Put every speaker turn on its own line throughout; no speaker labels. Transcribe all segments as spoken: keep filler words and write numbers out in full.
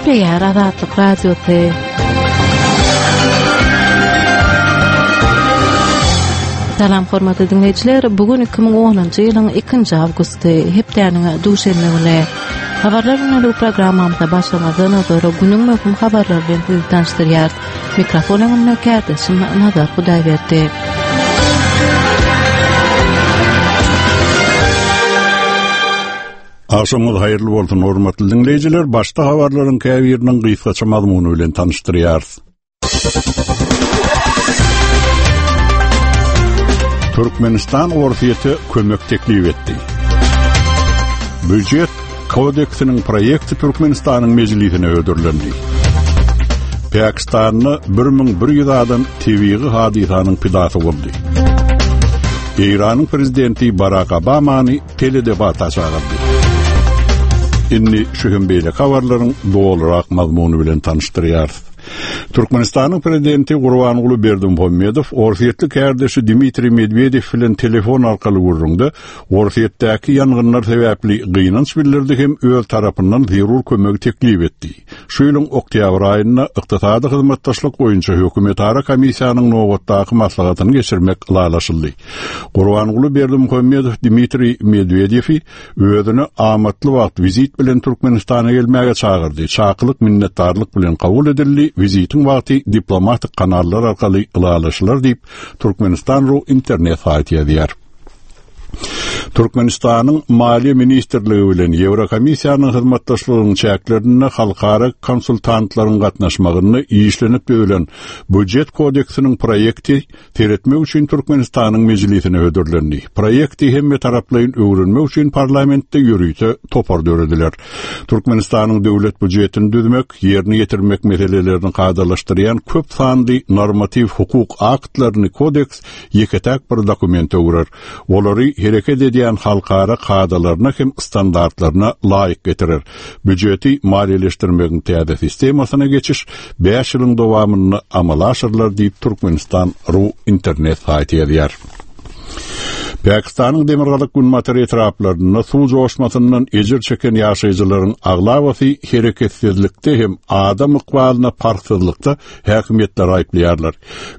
Gepleýär Azatlyk Radiosy. Salam hormatly diňleýjiler, bu gün iki müň onunjy ýylyň ikinji awgusty, hepdäniň duşenbe güni. Habarlar günlük programmamyza başlamazdan ozal günüň möhüm habarlary bilen sizi tanyşdyrýarys. Mikrofon öňünde kärdeşim Nazar Hudaýberdi.
Agşamyňyz haýyrly bolsun, hormatly diňleýjiler. Başda habarlaryň käbiriniň gysgaça mazmuny bilen tanyşdyrýarys. Türkmenistan Orsýete kömek teklip etdi. Býujet kodeksiniň proýekti Türkmenistanyň mejlisine hödürlendi. Pakistanda bir müň bir ýüz adam tebigy hadysanyň pidasy boldy. Eýranyň prezidenti Barak Obamany teledebata çagyrdy. Indi şu hem beýleki habarlaryň dolurak mazmuny bilen tanyşdyrýarys. Türkmenistanyň prezidenti Gurbanguly Berdimuhamedow orsýetli kärdeşi Dmitriý Medwedew bilen telefon arkaly gürrüňde Orsýetdäki ýangynlar sebäpli gynanç bildirdi hem öz tarapyndan zerur kömegi teklip etdi. Şu ýylyň oktýabr aýynda ykdysady hyzmatdaşlyk boýunça hökümetara komissiýanyň nobatdaky maslahatyny geçirmek ylalaşyldy. Gurbanguly Berdimuhamedow Dmitriý Medwedewi özüne amatly wagt wizit bilen Türkmenistana gelmäge çagyrdy. Çakylyk minnetdarlyk bilen kabul edildi. Wizitiň wagty diplomatik kanallar arkaly ylalaşylar diýip, Türkmenistan ru internet saýty ýazýar. Türkmenistanyň Maliýe ministrligi bilen Ýewrokomissiýanyň hyzmatdaşlygynyň çäklerinde halkara konsultantlaryň gatnaşmagynda işlenip düzülen Býujet kodeksiniň proýekti seretmek üçin Türkmenistanyň mejlisine hödürlendi. Proýekti hemme taraplaýyn öwrenmek üçin parlamentde ýörite topar dörediler. Türkmenistanyň döwlet býujetini düzmek, ýerine ýetirmek meselelerini kadalaşdyrýan köp sanly normatiw hukuk aktlaryny kodeks ýeke-täk bir dokument öwrer. Olary hereket edýän halkara kadalaryna hem standartlaryna laýyk getirer. Býujeti maliýeleşdirmegiň täze sistemasyna geçiş bäş ýylyň dowamynda amala aşyrylar diýip Türkmenistan ru internet saýty ýazýar. Pakistanyň demirgazyk günbatar etraplarynda suw joşmasyndan ejir çeken ýaşaýjylaryň aglabasy hereketsizlikde hem adam ykbalyna parhsyzlykda häkimiýetleri aýyplaýarlar.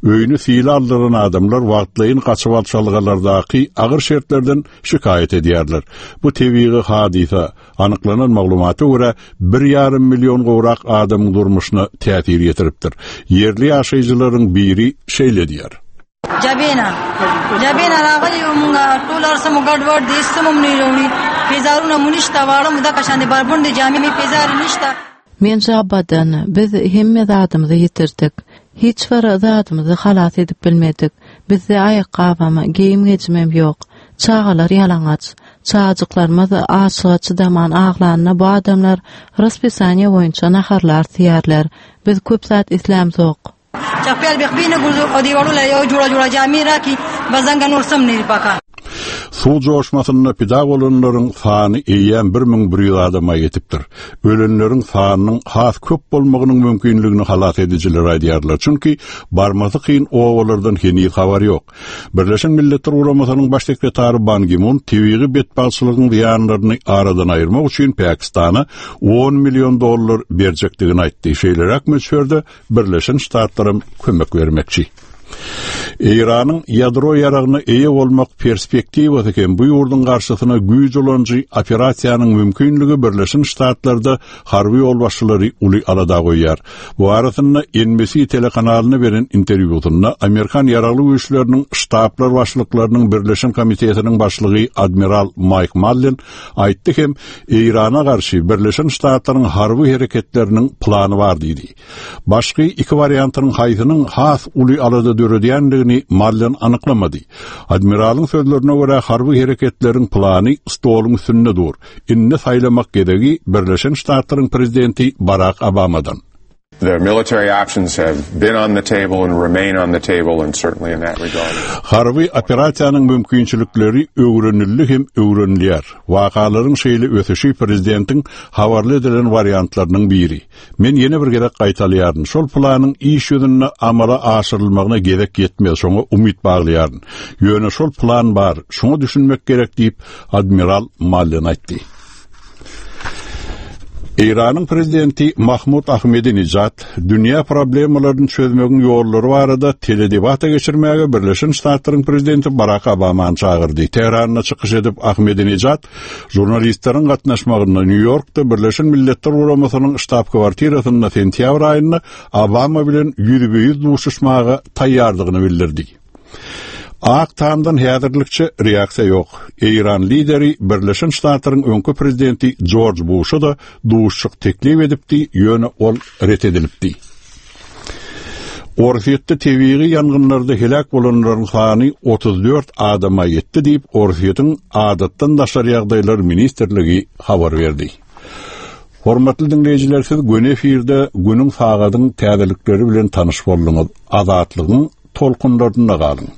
Öýüni sile aldyran adamlar wagtlaýyn gaçybalçalgalardaky agyr şertlerden şikaýat edýärler. Bu tebigy hadysa anyklanan maglumata görä bir ýarym million gowrak adamyň durmuşyna täsir ýetiripdir. Ýerli ýaşaýjylaryň biri şeýle diýýär.
Jabena. Jabena ragali munga tolar samu gadwad desumum nironi. Pezaruna munishta varum da kashande barbunde jami mi pezar nishta.
Men Jabadan biz hemme zadymyzy ýitirdik. Hiç bir zadymyzy halas edip bilmedik. Bizde aýakgabam, geýim-gejimem ýok. Çagalar ýalaňaç. Çagajyklarymyz açlyga çydaman aglanda bu adamlar raspisaniýa boýunça naharlar siýerler. Biz köp zat islämzok.
Çapel bekbine guzu odiwarula yo jura jura jami raki bazanga nur samni baka.
Suw joşmasynda pida bolanlaryň sany eýýäm bir müň bir ýüz adama ýetipdir. Ölenleriň sanynyň has köp bolmagynyň mümkinligini halas edijiler aýdýarlar. Çünki barmasy kyn obalardan heniz habar ýok. Birleşen Milletler Guramasynyň baş sekretary Ban Ki-mun tebigy betbagtçylygyň zyýanlaryny aradan aýyrmak üçin Pakistana on million dollar berjekdigini aýtdy. Şeýleräk möçberde Birleşen Ştatlaram kömek bermekçi. Eýranyň ýadro ýaragyna eýe bolmak perspektiwasy hem bu ýurduň garşysyna güýç ulanyjy operasiýanyň mümkinligi Birleşen Ştatlarda harby ýolbaşçylary uly alada goýýar. Bu arasynda N B C telekanalyna beren interwýusynda Amerikan ýaragly güýçleriniň ştablar başlyklarynyň Birleşen Komitetiniň başlygy Admiral Mike Mullen aýtdy hem Eýrana garşy Birleşen Ştatlaryň harby hereketleriniň plany bar diýdi. Başky iki wariantynyň haýsynyň has uly alada döredýändigini Mullen anyklamady. Admiralyň sözlerine görä harby hereketleriň plany stoluň üstünde dur. Indi saýlamak gezegi Birleşen Ştatlaryň prezidenti Barack Obamadan.
The military options have been on the table and remain on the table, and certainly in that regard.
Harby operasiýanyň mümkinçilikleri öwrenildi hem öwrenilýär. Wakalaryň şeýle ösüşi prezidentiň habarly edilen wariantlarynyň biri. Men ýene bir gezek gaýtalaýaryn. Şol planyň iş ýüzünde amala aşyrylmagyna gezek ýetmez, şoňa umyt baglaýaryn. Ýöne şol plan bar, şoňa düşünmek gerek diýip Admiral Mullen aýtdy. Eýranyň prezidenti Mahmud Ahmedinejad dünýä problemalaryny çözmegiň ýollary barada teledebata geçirmäge Birleşen Ştatlaryň prezidenti Barack Obamany çagyrdy. Tähranda çykyş edip Ahmedinejad žurnalistleriň gatnaşmagynda Nýu-Ýorkda Birleşen Milletler Guramasynyň ştab kwartirasynda sentýabr aýynda Obama bilen ýüzbe-ýüz duşuşmaga taýýardygyny bildirdi. Ak Tamdan häzirlikçe reaksiýa ýok. Eýran lideri Birleşen Ştatlaryň öňki prezidenti George Bush'a da duşuşyk teklip edipdi, ýöne ol ret edilipdi. Orsýetde tebigy ýangynlarda helak bolanlaryň sany otuz dört adama ýetdi diýip, Orsýetiň adatdan daşary ýagdaýlar ministrligi habar berdi. Hormatly dinleýjiler, siz göni efirde günüň sagadyň täzelikleri bilen tanyş bolduňyz. Azatlygyň tolkunlarynda galyň.